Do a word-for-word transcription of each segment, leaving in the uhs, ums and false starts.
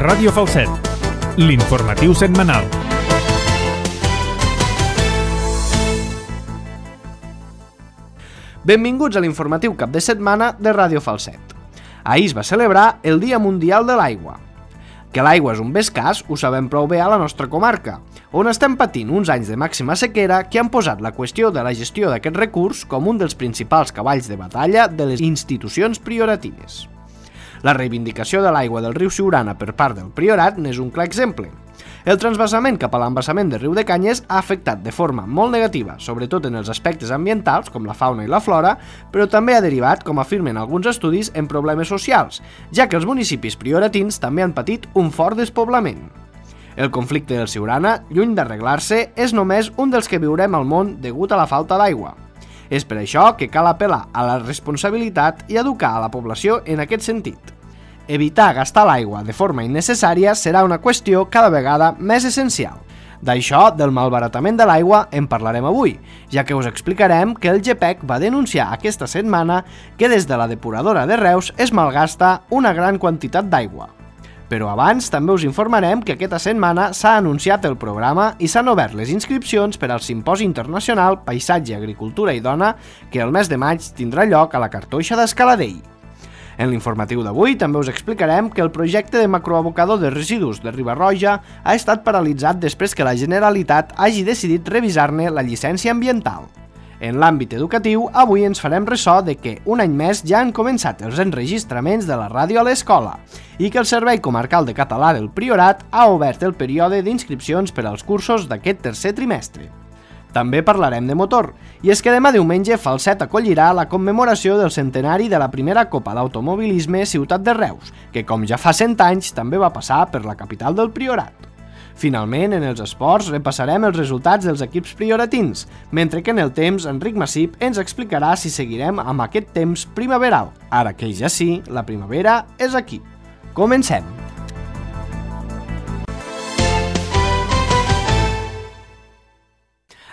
Ràdio Falset, l'informatiu setmanal. Benvinguts a l'informatiu cap de setmana de Ràdio Falset. Ahir es va celebrar el Dia Mundial de l'Aigua. Que l'aigua és un bé escàs ho sabem prou bé a la nostra comarca, on estem patint uns anys de màxima sequera que han posat la qüestió de la gestió d'aquest recurs com un dels principals cavalls de batalla de les institucions prioratines. La reivindicació de l'aigua del riu Siurana per part del Priorat n'és un clar exemple. El transvasament cap a l'embassament del riu de Canyes ha afectat de forma molt negativa, sobretot en els aspectes ambientals, com la fauna i la flora, però també ha derivat, com afirmen alguns estudis, en problemes socials, ja que els municipis prioratins també han patit un fort despoblament. El conflicte del Siurana, lluny d'arreglar-se, és només un dels que viurem al món degut a la falta d'aigua. És per això que cal apel·lar a la responsabilitat i educar a la població en aquest sentit. Evitar gastar l'aigua de forma innecessària serà una qüestió cada vegada més essencial. D'això, del malbaratament de l'aigua, en parlarem avui, ja que us explicarem que el GEPEC va denunciar aquesta setmana que des de la depuradora de Reus es malgasta una gran quantitat d'aigua. Però abans també us informarem que aquesta setmana s'ha anunciat el programa i s'han obert les inscripcions per al Simposi Internacional Paisatge, Agricultura i Dona que el mes de maig tindrà lloc a la Cartoixa d'Escaladei. En l'informatiu d'avui també us explicarem que el projecte de macroabocador de residus de Riba-roja ha estat paralitzat després que la Generalitat hagi decidit revisar-ne la llicència ambiental. En l'àmbit educatiu, avui ens farem ressò de que un any més ja han començat els enregistraments de la ràdio a l'escola i que el Servei Comarcal de Català del Priorat ha obert el període d'inscripcions per als cursos d'aquest tercer trimestre. També parlarem de motor, i és que demà diumenge Falset acollirà la commemoració del centenari de la primera Copa d'Automobilisme Ciutat de Reus, que com ja fa cent anys també va passar per la capital del Priorat. Finalment, en els esports repassarem els resultats dels equips prioratins, mentre que en el temps Enric Massip ens explicarà si seguirem amb aquest temps primaveral. Ara que ja sí, la primavera és aquí. Comencem!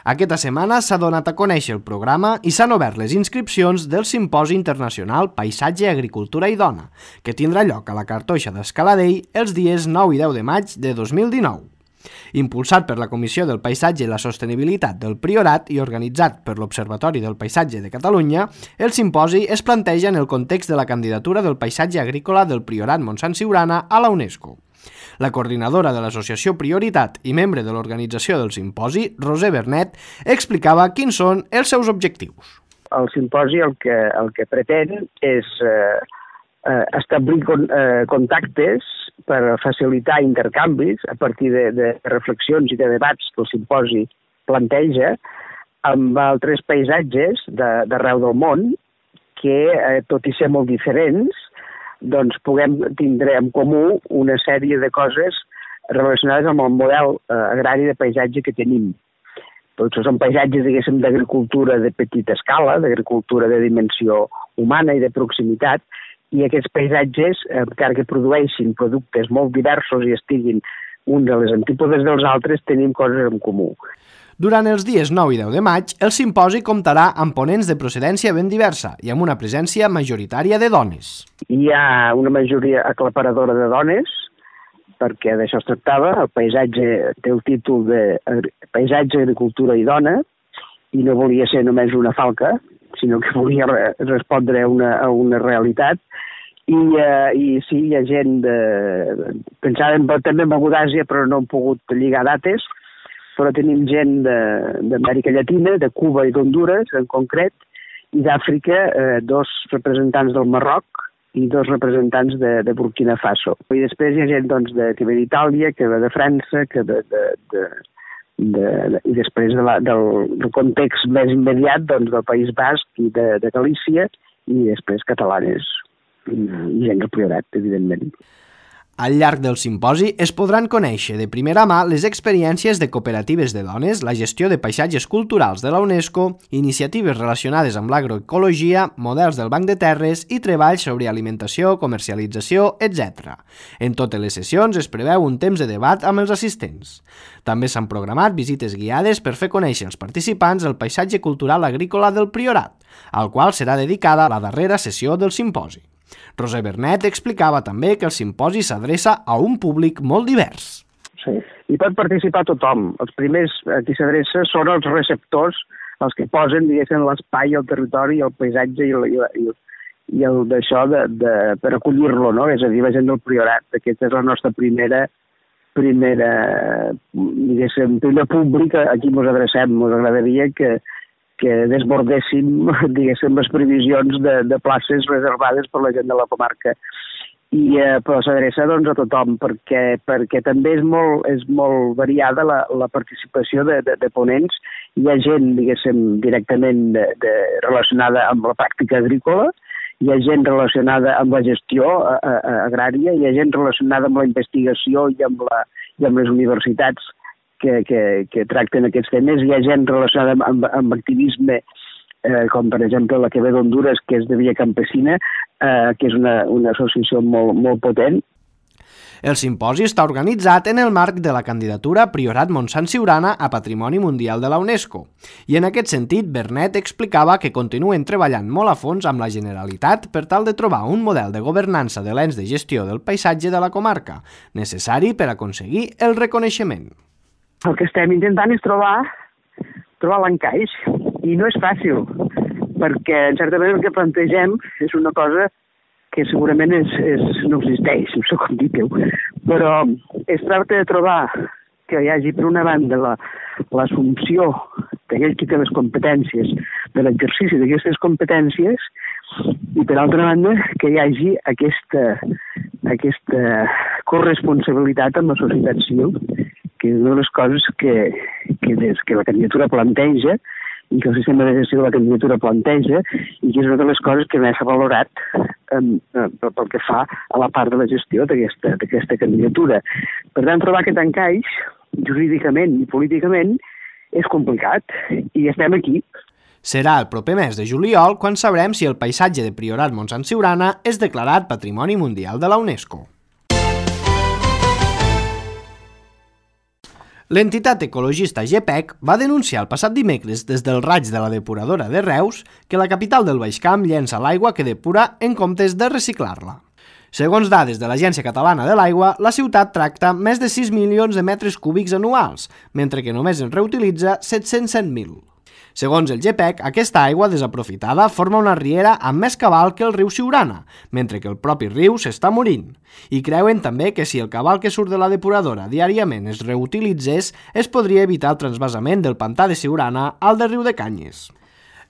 Aquesta setmana s'ha donat a conèixer el programa i s'han obert les inscripcions del Simposi Internacional Paisatge, Agricultura i Dona, que tindrà lloc a la Cartoixa d'Escaladei els dies nou i deu de maig de dos mil dinou. Impulsat per la Comissió del Paisatge i la Sostenibilitat del Priorat i organitzat per l'Observatori del Paisatge de Catalunya, el simposi es planteja en el context de la candidatura del paisatge agrícola del Priorat Montsant Siurana a la UNESCO. La coordinadora de l'associació Prioritat i membre de l'organització del simposi, Roser Bernet, explicava quins són els seus objectius. El simposi el que, el que pretén és eh, establir con, eh, contactes per facilitar intercanvis a partir de, de reflexions i de debats que el simposi planteja amb altres paisatges d'arreu del món que, eh, tot i ser molt diferents, doncs puguem tindre en comú una sèrie de coses relacionades amb el model eh, agrari de paisatge que tenim. Tots són paisatges, diguéssim, d'agricultura de petita escala, d'agricultura de dimensió humana i de proximitat, i aquests paisatges, eh, encara que produeixin productes molt diversos i estiguin uns a les antípodes dels altres, tenim coses en comú. Durant els dies nou i deu de maig, el simposi comptarà amb ponents de procedència ben diversa i amb una presència majoritària de dones. Hi ha una majoria aclaparadora de dones, perquè d'això es tractava. El paisatge té el títol de Paisatge, Agricultura i Dona, i no volia ser només una falca, sinó que volia respondre a una, a una realitat. I, eh, i sí, hi ha gent de... Pensàvem també en Begudàsia, però no hem pogut lligar dates, però tenim gent d'Amèrica Llatina, de Cuba i d'Honduras, en concret, i d'Àfrica, eh, dos representants del Marroc i dos representants de, de Burkina Faso. I després hi ha gent doncs, de, que ve d'Itàlia, que ve de França, que ve de, de, de, de, i després de la, del, del context més immediat doncs, del País Basc i de, de Galícia, i després catalanes i, i gent del Priorat, evidentment. Al llarg del simposi es podran conèixer de primera mà les experiències de cooperatives de dones, la gestió de paisatges culturals de la UNESCO, iniciatives relacionades amb l'agroecologia, models del Banc de Terres i treballs sobre alimentació, comercialització, etcètera. En totes les sessions es preveu un temps de debat amb els assistents. També s'han programat visites guiades per fer conèixer als participants el paisatge cultural agrícola del Priorat, al qual serà dedicada la darrera sessió del simposi. Roser Bernet explicava també que el simposi s'adreça a un públic molt divers. Sí, i pot participar tothom. Els primers a qui s'adreça són els receptors, els que posen, diguéssim, l'espai, el territori, el paisatge i el, i el, i el d'això de, de, per acollir-lo, no? És a dir, la gent del Priorat. Aquesta és la nostra primera, primera diguéssim, primer públic a qui ens adrecem. Ens agradaria que, que desbordéssim, diguéssim, les previsions de, de places reservades per la gent de la comarca. I, eh, però s'adreça doncs, a tothom, perquè, perquè també és molt, és molt variada la, la participació de, de, de ponents. Hi ha gent, diguéssim, directament de, de, relacionada amb la pràctica agrícola, hi ha gent relacionada amb la gestió a, a, agrària, hi ha gent relacionada amb la investigació i amb, la, i amb les universitats que, que, que tracten aquests temes, hi ha gent relacionada amb, amb, amb activisme, eh, com per exemple la que ve d'Honduras, que és de Via Campesina, eh, que és una, una associació molt, molt potent. El simposi està organitzat en el marc de la candidatura Priorat Montsant Siurana a Patrimoni Mundial de la UNESCO. I en aquest sentit, Bernet explicava que continuen treballant molt a fons amb la Generalitat per tal de trobar un model de governança de l'ens de gestió del paisatge de la comarca, necessari per aconseguir el reconeixement. El que estem intentant és trobar, trobar l'encaix, i no és fàcil, perquè en certa manera el que plantegem és una cosa que segurament és, és, no existeix, no sé com dir-ho, però es tracta de trobar que hi hagi, per una banda, la, l'assumpció d'aquell qui té les competències, de l'exercici d'aquestes competències, i per altra banda, que hi hagi aquesta, aquesta corresponsabilitat amb la societat civil, que és una de les coses que, que, des que la candidatura planteja, i que el sistema de gestió de la candidatura planteja, i que és una de les coses que més s'ha valorat um, pel que fa a la part de la gestió d'aquesta, d'aquesta candidatura. Per tant, trobar aquest encaix, jurídicament i políticament, és complicat, i estem aquí. Serà el proper mes de juliol quan sabrem si el paisatge de Priorat Montsant Siurana és declarat Patrimoni Mundial de la UNESCO. L'entitat ecologista GEPEC va denunciar el passat dimecres des del raig de la depuradora de Reus que la capital del Baix Camp llença l'aigua que depura en comptes de reciclar-la. Segons dades de l'Agència Catalana de l'Aigua, la ciutat tracta més de sis milions de metres cúbics anuals, mentre que només en reutilitza set-cents set mil. Segons el GEPEC, aquesta aigua desaprofitada forma una riera amb més cabal que el riu Siurana, mentre que el propi riu s'està morint. I creuen també que si el cabal que surt de la depuradora diàriament es reutilitzés, es podria evitar el transvasament del pantà de Siurana al de Riu de Canyes.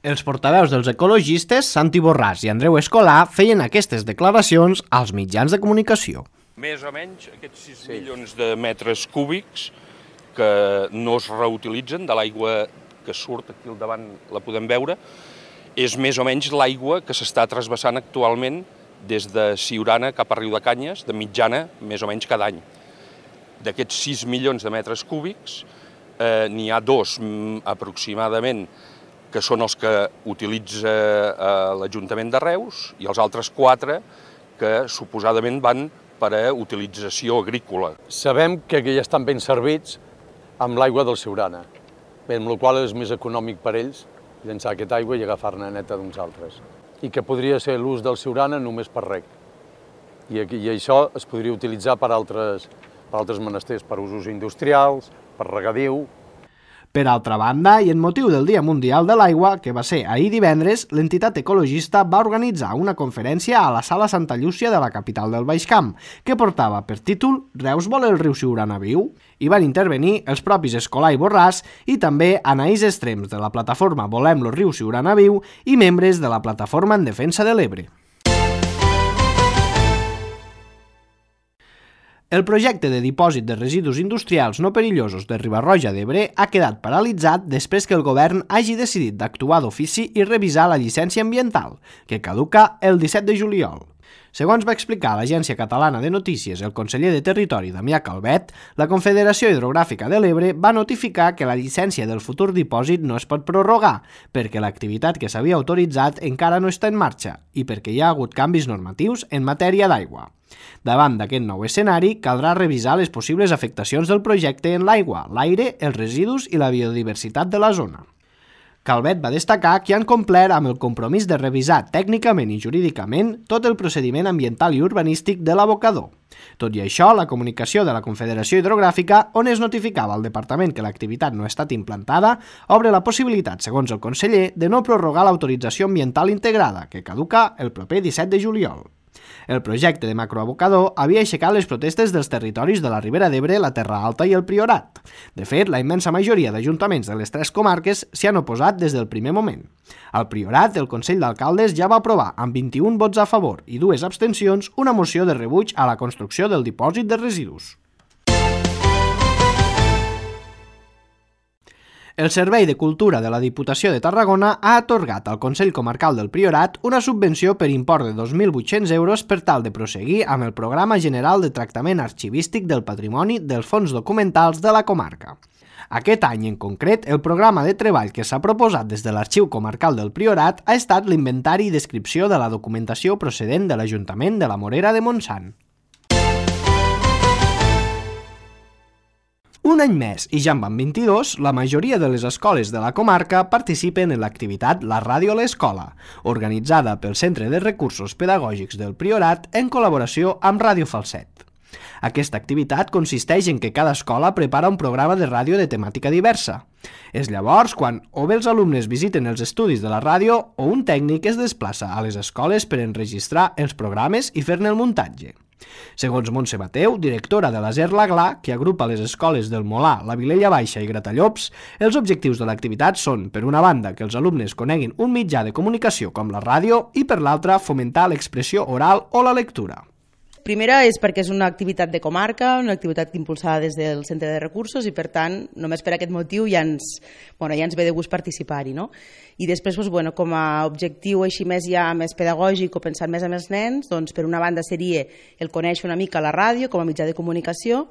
Els portaveus dels ecologistes, Santi Borràs i Andreu Escolà, feien aquestes declaracions als mitjans de comunicació. Més o menys aquests sis milions de metres cúbics que no es reutilitzen de l'aigua que surt aquí al davant, la podem veure, és més o menys l'aigua que s'està trasbassant actualment des de Siurana cap a Riu de Canyes, de mitjana, més o menys cada any. D'aquests sis milions de metres cúbics, eh, n'hi ha dos mm, aproximadament que són els que utilitza eh, l'Ajuntament de Reus i els altres quatre que suposadament van per a utilització agrícola. Sabem que ja estan ben servits amb l'aigua del Siurana, amb la qual és més econòmic per ells llençar aquesta aigua i agafar-ne neta d'uns altres. I que podria ser l'ús del Siurana només per reg. I, I això es podria utilitzar per altres, per altres menesters, per usos industrials, per regadiu. Per altra banda, i en motiu del Dia Mundial de l'Aigua, que va ser ahir divendres, l'entitat ecologista va organitzar una conferència a la Sala Santa Llúcia de la capital del Baix Camp, que portava per títol «Reus vol el riu Siurana viu?» Hi van intervenir els propis Escolà i Borràs i també Anaïs Extrems de la plataforma Volem lo riu Siurana viu i membres de la plataforma en defensa de l'Ebre. El projecte de dipòsit de residus industrials no perillosos de Riba-roja d'Ebre ha quedat paralitzat després que el govern hagi decidit d'actuar d'ofici i revisar la llicència ambiental, que caduca el disset de juliol. Segons va explicar a l'Agència Catalana de Notícies el conseller de Territori Damià Calvet, la Confederació Hidrogràfica de l'Ebre va notificar que la llicència del futur dipòsit no es pot prorrogar, perquè l'activitat que s'havia autoritzat encara no està en marxa i perquè hi ha hagut canvis normatius en matèria d'aigua. Davant d'aquest nou escenari, caldrà revisar les possibles afectacions del projecte en l'aigua, l'aire, els residus i la biodiversitat de la zona. Calvet va destacar que han complert amb el compromís de revisar tècnicament i jurídicament tot el procediment ambiental i urbanístic de l'abocador. Tot i això, la comunicació de la Confederació Hidrogràfica, on es notificava al departament que l'activitat no ha estat implantada, obre la possibilitat, segons el conseller, de no prorrogar l'autorització ambiental integrada, que caduca el proper disset de juliol. El projecte de macroabocador havia aixecat les protestes dels territoris de la Ribera d'Ebre, la Terra Alta i el Priorat. De fet, la immensa majoria d'ajuntaments de les tres comarques s'hi han oposat des del primer moment. Al Priorat, el Consell d'Alcaldes ja va aprovar, amb vint-i-un vots a favor i dues abstencions, una moció de rebuig a la construcció del dipòsit de residus. El Servei de Cultura de la Diputació de Tarragona ha atorgat al Consell Comarcal del Priorat una subvenció per import de dos mil vuit-cents euros per tal de prosseguir amb el Programa General de Tractament Arxivístic del Patrimoni dels Fons Documentals de la comarca. Aquest any en concret, el programa de treball que s'ha proposat des de l'Arxiu Comarcal del Priorat ha estat l'inventari i descripció de la documentació procedent de l'Ajuntament de la Morera de Montsant. Un any més, i ja en van vint-i-dos, la majoria de les escoles de la comarca participen en l'activitat La Ràdio a l'Escola, organitzada pel Centre de Recursos Pedagògics del Priorat en col·laboració amb Ràdio Falset. Aquesta activitat consisteix en que cada escola prepara un programa de ràdio de temàtica diversa. És llavors quan o bé els alumnes visiten els estudis de la ràdio o un tècnic es desplaça a les escoles per enregistrar els programes i fer-ne el muntatge. Segons Montse Bateu, directora de l'Aser Laglà, que agrupa les escoles del Molà, la Vilella Baixa i Gratallops, els objectius de l'activitat són, per una banda, que els alumnes coneguin un mitjà de comunicació com la ràdio i, per l'altra, fomentar l'expressió oral o la lectura. Primera és perquè és una activitat de comarca, una activitat impulsada des del Centre de Recursos i, per tant, només per aquest motiu ja ens, bueno, ja ens ve de gust participar-hi, no? I després, doncs, bueno, com a objectiu així més ja més pedagògic o pensant més en els nens, doncs, per una banda seria el conèixer una mica la ràdio com a mitjà de comunicació,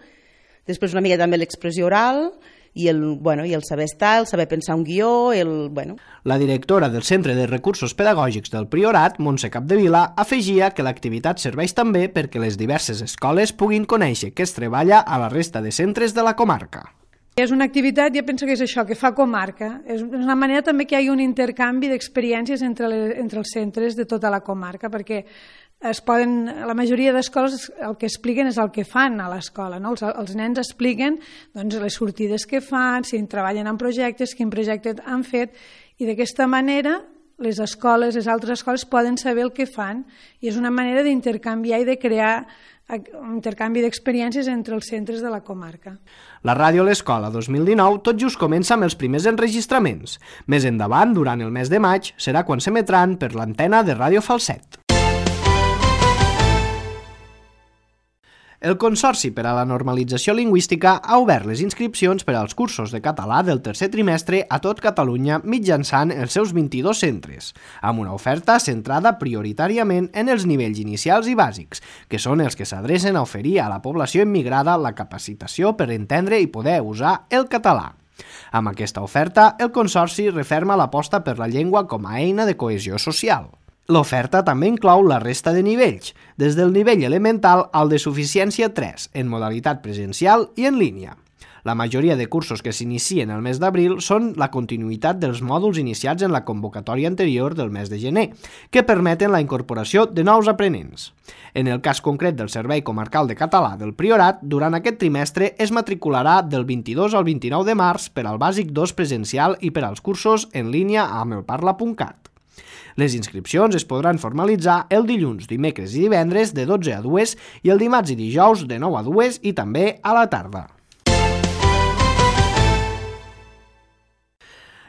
després una mica també l'expressió oral i el, bueno, i el saber estar, el saber pensar un guió, el, bueno... La directora del Centre de Recursos Pedagògics del Priorat, Montse Capdevila, afegia que l'activitat serveix també perquè les diverses escoles puguin conèixer què es treballa a la resta de centres de la comarca. És una activitat, jo penso que és això, que fa comarca. És una manera també que hi hagi un intercanvi d'experiències entre, les, entre els centres de tota la comarca, perquè es poden, la majoria d'escoles el que expliquen és el que fan a l'escola, no? Els, els nens expliquen doncs, les sortides que fan, si treballen en projectes, quin projecte han fet, i d'aquesta manera les escoles, les altres escoles poden saber el que fan, i és una manera d'intercanviar i de crear un intercanvi d'experiències entre els centres de la comarca. La Ràdio a l'Escola dos mil dinou tot just comença amb els primers enregistraments. Més endavant, durant el mes de maig, serà quan s'emetran per l'antena de Ràdio Falset. El Consorci per a la Normalització Lingüística ha obert les inscripcions per als cursos de català del tercer trimestre a tot Catalunya mitjançant els seus vint-i-dos centres, amb una oferta centrada prioritàriament en els nivells inicials i bàsics, que són els que s'adrecen a oferir a la població immigrada la capacitació per entendre i poder usar el català. Amb aquesta oferta, el Consorci referma l'aposta per la llengua com a eina de cohesió social. L'oferta també inclou la resta de nivells, des del nivell elemental al de suficiència tres, en modalitat presencial i en línia. La majoria de cursos que s'inicien el mes d'abril són la continuïtat dels mòduls iniciats en la convocatòria anterior del mes de gener, que permeten la incorporació de nous aprenents. En el cas concret del Servei Comarcal de Català del Priorat, durant aquest trimestre es matricularà del vint-i-dos al vint-i-nou de març per al Bàsic dos presencial i per als cursos en línia amb el parla punt cat. Les inscripcions es podran formalitzar el dilluns, dimecres i divendres de dotze a dues i el dimarts i dijous de nou a dues i també a la tarda.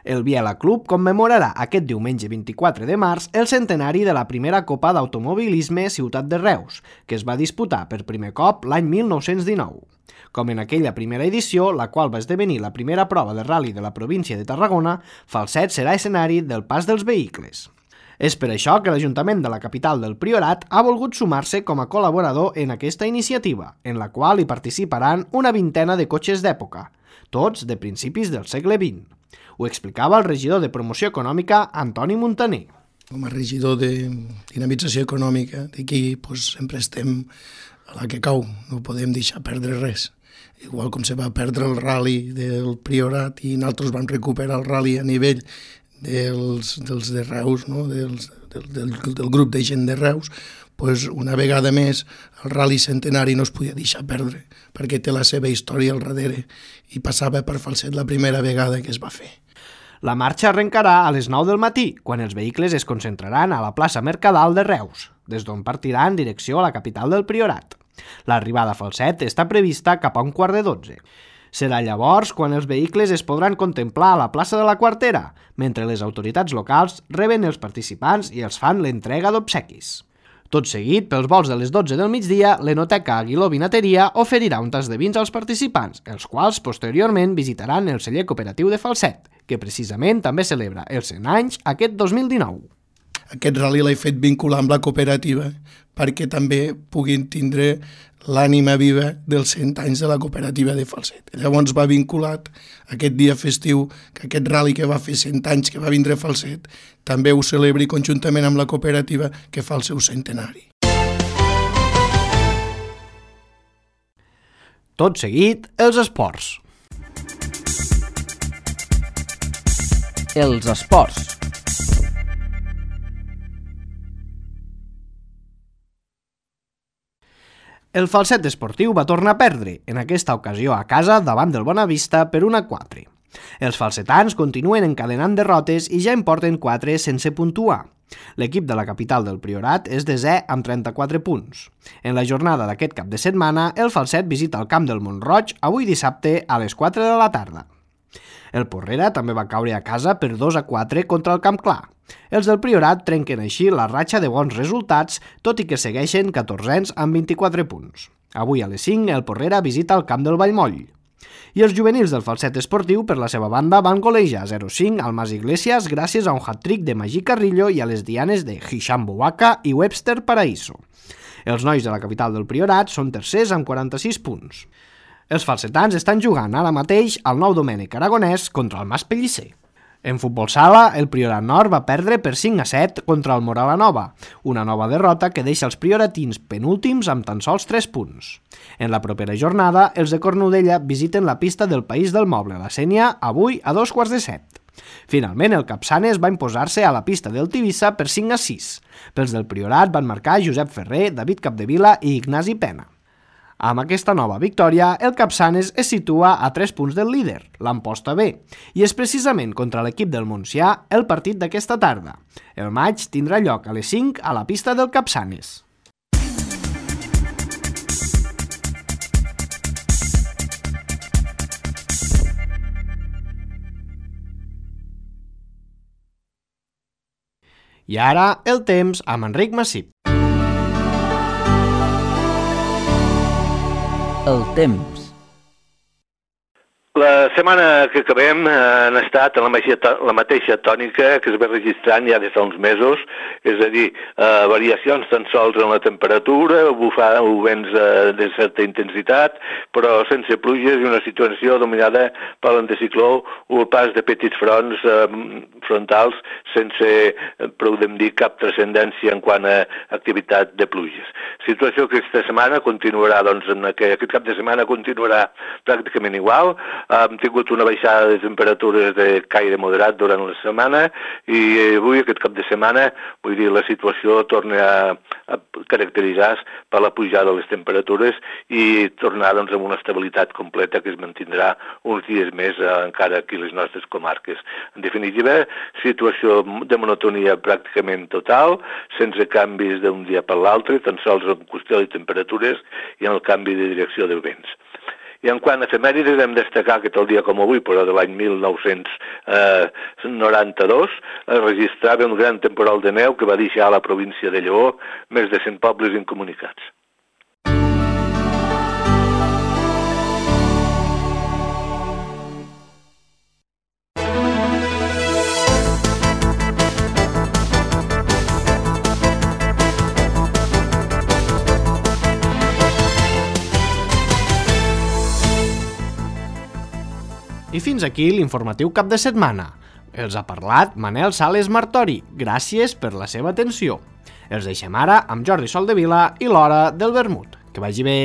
El Biela Club commemorarà aquest diumenge vint-i-quatre de març el centenari de la primera Copa d'Automobilisme Ciutat de Reus, que es va disputar per primer cop l'any mil nou-cents dinou. Com en aquella primera edició, la qual va esdevenir la primera prova de ral·li de la província de Tarragona, Falset serà escenari del pas dels vehicles. És per això que l'Ajuntament de la capital del Priorat ha volgut sumar-se com a col·laborador en aquesta iniciativa, en la qual hi participaran una vintena de cotxes d'època, tots de principis del segle vint. Ho explicava el regidor de Promoció Econòmica, Antoni Montaner. Com a regidor de dinamització econòmica d'aquí doncs, sempre estem a la que cau, no podem deixar perdre res. Igual com se va perdre el ral·li del Priorat i nosaltres vam recuperar el ral·li a nivell dels, dels de Reus, no? dels, del, del, del grup de gent de Reus, pues una vegada més el Rally Centenari no es podia deixar perdre, perquè té la seva història al darrere i passava per Falset la primera vegada que es va fer. La marxa arrencarà a les nou del matí, quan els vehicles es concentraran a la plaça Mercadal de Reus, des d'on partiran en direcció a la capital del Priorat. L'arribada a Falset està prevista cap a un quart de dotze. Serà llavors quan els vehicles es podran contemplar a la plaça de la Quartera, mentre les autoritats locals reben els participants i els fan l'entrega d'obsequis. Tot seguit, pels vols de les dotze del migdia, l'Enoteca Aguiló Vinateria oferirà un tas de vins als participants, els quals posteriorment visitaran el celler cooperatiu de Falset, que precisament també celebra els cent anys aquest dos mil dinou. Aquest rally l'he fet vincular amb la cooperativa perquè també puguin tindre l'ànima viva dels cent anys de la cooperativa de Falset. Llavors va vinculat aquest dia festiu, que aquest rally que va fer cent anys que va vindre a Falset, també ho celebri conjuntament amb la cooperativa que fa el seu centenari. Tot seguit, els esports. Els esports. El Falset esportiu va tornar a perdre, en aquesta ocasió a casa davant del Bonavista per un a quatre. Els falsetans continuen encadenant derrotes i ja en porten quatre sense puntuar. L'equip de la capital del Priorat és desè amb trenta-quatre punts. En la jornada d'aquest cap de setmana, el Falset visita el camp del Mont-roig avui dissabte a les quatre de la tarda. El Porrera també va caure a casa per dos a quatre contra el Camp Clar. Els del Priorat trenquen així la ratxa de bons resultats, tot i que segueixen catorzens amb vint-i-quatre punts. Avui a les cinc el Porrera visita el camp del Vallmoll. I els juvenils del Falset esportiu, per la seva banda, van golejar zero a cinc al Mas Iglesias gràcies a un hat-trick de Magí Carrillo i a les dianes de Hisham Bouaka i Webster Paraíso. Els nois de la capital del Priorat són tercers amb quaranta-sis punts. Els falsetans estan jugant ara mateix al Nou Domènec Aragonès contra el Mas Pellicer. En futbol sala, el Priorat Nord va perdre per cinc a set contra el Moralanova, una nova derrota que deixa els prioratins penúltims amb tan sols tres punts. En la propera jornada, els de Cornudella visiten la pista del País del Moble, la Sénia, avui a dos quarts de set. Finalment, el Capçanes va imposar-se a la pista del Tivissa per cinc a sis. Pels del Priorat van marcar Josep Ferrer, David Capdevila i Ignasi Pena. Amb aquesta nova victòria, el Capçanes es situa a tres punts del líder, l'Amposta B, i és precisament contra l'equip del Montsià el partit d'aquesta tarda. El maig tindrà lloc a les cinc a la pista del Capçanes. I ara, el temps amb Enric Massip. El temps. La setmana que acabem han estat en la mateixa, la mateixa tònica que es va registrant ja des fa uns mesos, és a dir, eh, variacions tan sols en la temperatura, bufar vents eh, de certa intensitat, però sense pluges i una situació dominada per l'anticicló o el pas de petits fronts eh, frontals sense, eh, podem dir, cap transcendència en quant a activitat de pluges. Situació que aquesta setmana continuarà, doncs, en aquest, aquest cap de setmana continuarà pràcticament igual. Hem tingut una baixada de temperatures de caire moderat durant la setmana i avui, aquest cap de setmana, vull dir, la situació torna a, a caracteritzar-se per la pujada de les temperatures i tornar, doncs, amb una estabilitat completa que es mantindrà uns dies més eh, encara aquí a les nostres comarques. En definitiva, situació de monotonia pràcticament total, sense canvis d'un dia per l'altre, tan sols en qüestió de temperatures i en el canvi de direcció dels vents. I en quant a efemèrides, hem destacar que tal dia com avui, però de l'any mil nou-cents noranta-dos, es registrava un gran temporal de neu que va deixar a la província de Lleó més de cent pobles incomunicats. I fins aquí l'informatiu cap de setmana. Els ha parlat Manel Sales Martori. Gràcies per la seva atenció. Els deixem ara amb Jordi Soldevila i l'Hora del Vermut. Que vagi bé!